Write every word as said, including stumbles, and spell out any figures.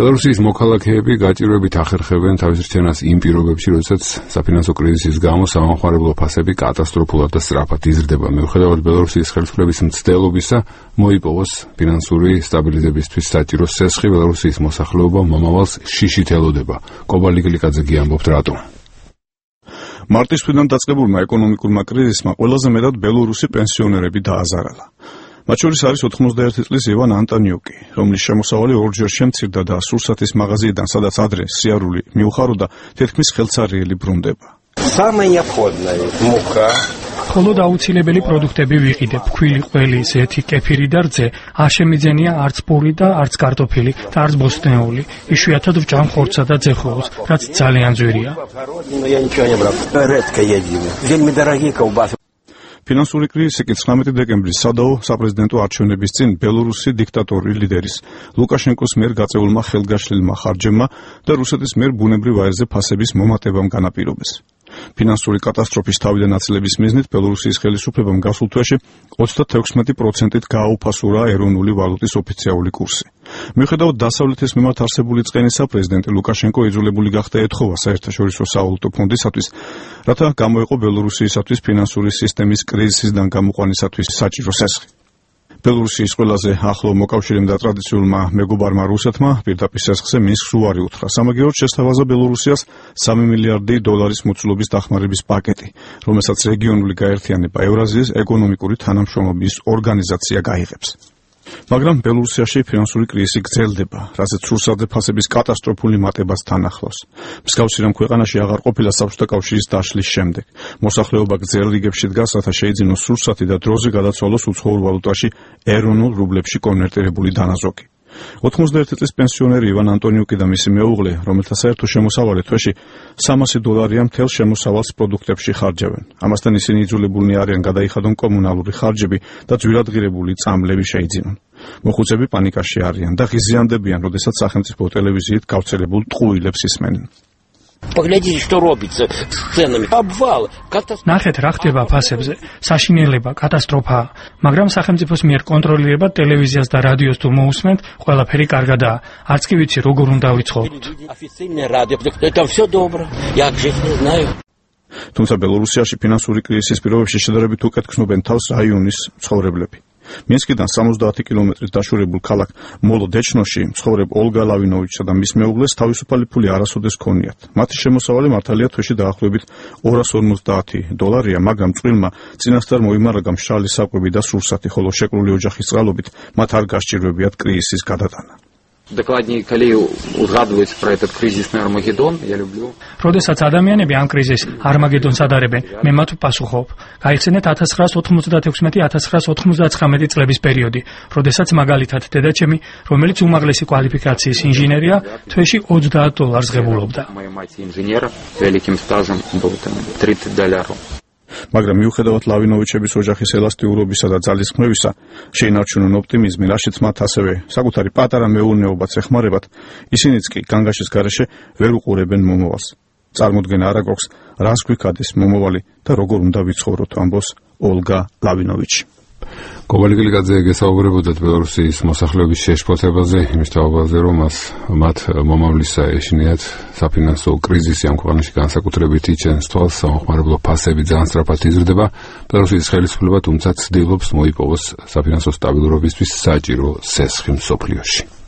ბელარუსის მოქალაქეები გაჭირვებით ახერხებენ თავის რჩენას იმ პირობებში, როდესაც საფინანსო კრიზისის გამო სამომხმარებლო ფასები კატასტროფულად და სწრაფად იზრდება. მიუხედავად ბელარუსის ხელისუფლების მცდელობისა, მოიპოვოს ფინანსური სტაბილიზებისთვის საჭირო სესხი, ბელარუსის მოსახლეობა მომავალს შიშით ელოდება. კობალი გლიკაძე ამბობთ რატომ. მარტის თვიდან დაწყებულმა ეკონომიკურმა კრიზისმა ყველაზე მეტად ბელორუსი პენსიონერები დააზარალა. მათ შორის არის ოთხმოცდაერთი წლის ივან ანტონიუკი, რომლის შემოსავალი ორჯერ შემცირდა და სურსათის მაღაზიიდან, სადაც ადრე სიარული მიუხაროდა, თითქმის ხელცარიელი ბრუნდება. მხოლოდ აუცილებელი პროდუქტები ვიყიდებ: ქვილი, ყველი, ზეთი, კეფირი და რძე. არ შემიძენია არც პური და არც კარტოფილი და არც ბოსტნეული. იშვიათად ვჭამ ხორცსა და ძეხოულს, რაც ძალიან ძვირია. ფინანსური კრიზისი კი ცხრამეტი დეკემბრის სადაო საპრეზიდენტო არჩევნების წინ ბელორუსი დიქტატორი ლიდერის ლუკაშენკოს მიერ გაწეულმა ხელგაშლილმა ხარჯებმა და რუსეთის მიერ ბუნებრივ აირზე ფასების მომატებამ განაპირობეს. ფინანსური კატასტროფის თავიდან აცლების მიზნით ბელორუსის ხელისუფლებამ გასულ თვეში ოცდათექვსმეტი პროცენტით გააუფასურა ეროვნული ვალუტის ოფიციალური კურსი. მიუხედავად დასავლეთის მიმართ არსებული წყენისა, პრეზიდენტი ლუკაშენკო იძულებული გახდა ეთხოვა საერთაშორისო სავალუტო ფონდისათვის, რათა გამოეყო ბელორუსიისათვის ფინანსური სისტემის კრიზისიდან გამოყვანისათვის საჭირო სესხი. ბელორუსიის ყველაზე ახლო მოკავშირემ და ტრადიციულმა მეგობარმა რუსეთმა პირდაპირ სესხზე მინსკს უარი უთხრა. სამაგიეროდ შესთავაზა ბელორუსიას სამი მილიარდი დოლარის მოცულობის დახმარების პაკეტი, რომელსაც რეგიონული გაერთიანება ევრაზიის ეკონომიკური თანამშრომლობის ორგანიზაცია გაიღებს. მაგრამ ბელორუსიაში ფინანსური კრიზისი გრძელდება, რასაც სურსათზე ფასების კატასტროფული მატებას თან ახლავს. მსგავსი რამ ქვეყანაში აღარ ყოფილა საბჭოთა კავშირის დაშლის შემდეგ. მოსახლეობა გრძელ რიგებში დგას, რათა შეიძინოს სურსათი და დროზე გადაცვალოს უცხოურ ვალუტაში ეროვნულ რუბლებში კონვერტირებული დანაზოგი. ოთხმოცდაერთი წლის პენსიონერი ივან ანტონიუკი და მისი მეუღლე, რომელთა საერთო შემოსავალი თვეში სამასი დოლარია, მთელ შემოსავალს პროდუქტებში ხარჯავენ. ამასთან ისინი იძულებულნი არიან გადაიხადონ კომუნალური ხარჯები და ძვირადღირებული წამლები შეიძინონ. მოხუცები პანიკაში არიან და ღიზიანდებიან, როდესაც სახელმწიფო ტელევიზიით გავრცელებულ ტყუილებს ისმენენ. ნახეთ რა ხდება ფასებზე. საშინელება, კატასტროფაა. მაგრამ სახელმწიფოს მიერ კონტროლირებად ტელევიზიას და რადიოს თუ მოусმენთ, ყველაფერი კარგადაა. არც კი ვიცი როგორ უნდა ვიცხოვროთ. თუმცა ბელორუსიაში ფინანსური კრიზისის პირობებში შედარებით უკეთ გრძნობენ თავს რაიონის მცხოვრებლები. მინსკიდან სამოცდაათი კილომეტრით დაშორებულ ქალაქ მოლოდეჩნოში მცხოვრებ ოლგა ლავინოვიჩსა და მის მეუღლეს თავისუფალი ფული არასოდეს ჰქონიათ. მათი შემოსავალი მართალია თვეში დაახლოებით ორას ორმოცდაათი დოლარია, მაგრამ წყვილმა წინასწარ მოიმარაგა მშრალი საკვები და სურსათი, ხოლო შეკრული ოჯახის წყალობით მათ არ გასჭირვებიათ კრიზისის გადატანა. Докладнее, коли узгадывается про этот кризисный Армагеддон, я люблю. როდესაც ადამიანები ამ კრიზისს არმაგედონს ადარებენ, მე მათ ვპასუხობ. გაიხსენეთ ათას ცხრაას ოთხმოცდათექვსმეტი ათას ცხრაას ოთხმოცდაცხრამეტი წლების პერიოდი, როდესაც მაგალითად დედაჩემი, რომელიც უმაღლესი კვალიფიკაციის ინჟინერია, თვეში ოცდაათ დოლარს ღებულობდა. Моя мать инженер, великим стажем был там тридцать долларов. მაგრამ მიუხედავად ლავინოვიჩების ოჯახის ელასტიურობისა და ძალისხმევისა, შეინარჩუნონ ოპტიმიზმი, რაშიც მათ ასევე საკუთარი პატარა მეურნეობაც ეხმარებათ, ისინიც კი განგაშის გარეშე ვერ უყურებენ მომავალს. წარმოდგენა არ აქვს, რას გვიქადეს მომავალი და როგორ უნდა ვიცხოვროთ, ამბობს ოლგა ლავინოვიჩი. კობალი გლიკაძე გესაუბრებოდათ ბელორუსის მოსახლეობის შეშფოთებაზე, იმის თაობაზე, რომ მას მათ მომავლისა ეშინიათ საფინანსო კრიზისი ამ ქვეყანაში განსაკუთრებით იჩენს თვალს, სამომხმარებლო ფასები ძალიან სწრაფად იზრდება. ბელორუსის ხელისუფლება თუმცა ცდილობს მოიპოვოს საფინანსო სტაბილურობისთვის საჭირო სესხი მსოფლიოში.